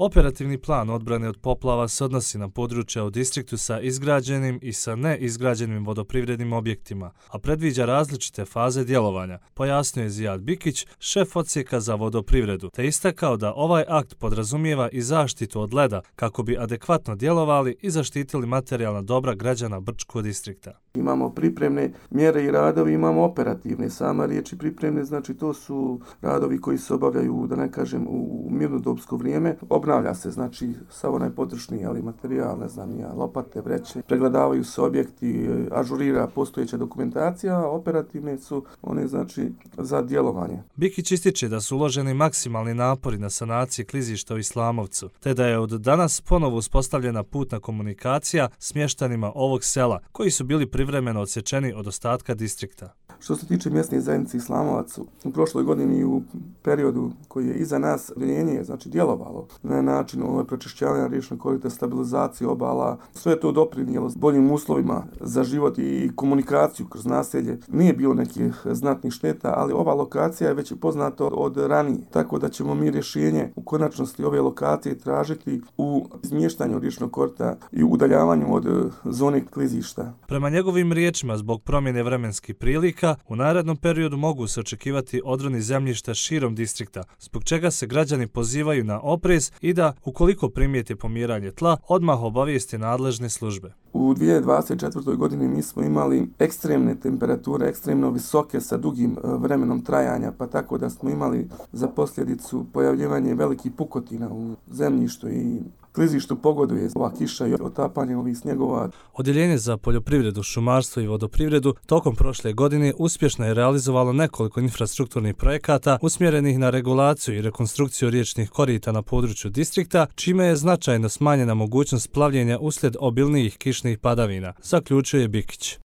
Operativni plan odbrane od poplava se odnosi na područja u distriktu sa izgrađenim i sa neizgrađenim vodoprivrednim objektima, a predviđa različite faze djelovanja, pojasnio je Zijad Bikić, šef odsjeka za vodoprivredu, te istakao da ovaj akt podrazumijeva i zaštitu od leda kako bi adekvatno djelovali i zaštitili materijalna dobra građana Brčkog distrikta. Imamo pripremne mjere i radovi, imamo operativne. Sama riječi pripremne, znači to su radovi koji se obavljaju, da ne kažem, u mirnodopsko vrijeme. Obnavlja se, znači, sav onaj potrošni materijal, ne znam, lopate, vreće, pregledavaju se objekti, ažurira postojeća dokumentacija, a operativne su one, znači, za djelovanje. Bikić ističe da su uloženi maksimalni napori na sanaciji klizišta u Islamovcu, te da je od danas ponovo uspostavljena putna komunikacija s mještanima ovog sela, koji su bili privremeno odsječeni od ostatka distrikta. Što se tiče mjesne zajednice Islamovac, u prošloj godini u periodu koji je iza nas, odjeljenje je znači djelovalo na način pročišćavanja riječnog korita, stabilizacije obala. Sve je to doprinijelo boljim uslovima za život i komunikaciju kroz naselje. Nije bilo nekih znatnih šteta, ali ova lokacija je već poznata od ranije. Tako da ćemo mi rješenje u konačnosti ove lokacije tražiti u izmještanju riječnog korita i udaljavanju od zone klizišta. Prema njegovim riječima, zbog promjene vremenskih prilika, u narednom periodu mogu se očekivati odroni zemljišta širom distrikta, zbog čega se građani pozivaju na oprez i da, ukoliko primijete pomiranje tla, odmah obavijeste nadležne službe. U 2024. godini mi smo imali ekstremne temperature, ekstremno visoke sa dugim vremenom trajanja, pa tako da smo imali za posljedicu pojavljivanje velikih pukotina u zemljištu i klizištu pogoduje ova kiša i otapanje ovih snjegova. Odjeljenje za poljoprivredu, šumarstvo i vodoprivredu tokom prošle godine uspješno je realizovalo nekoliko infrastrukturnih projekata usmjerenih na regulaciju i rekonstrukciju riječnih korita na području distrikta, čime je značajno smanjena mogućnost plavljenja uslijed obilnijih kišnih padavina, zaključuje Bikić.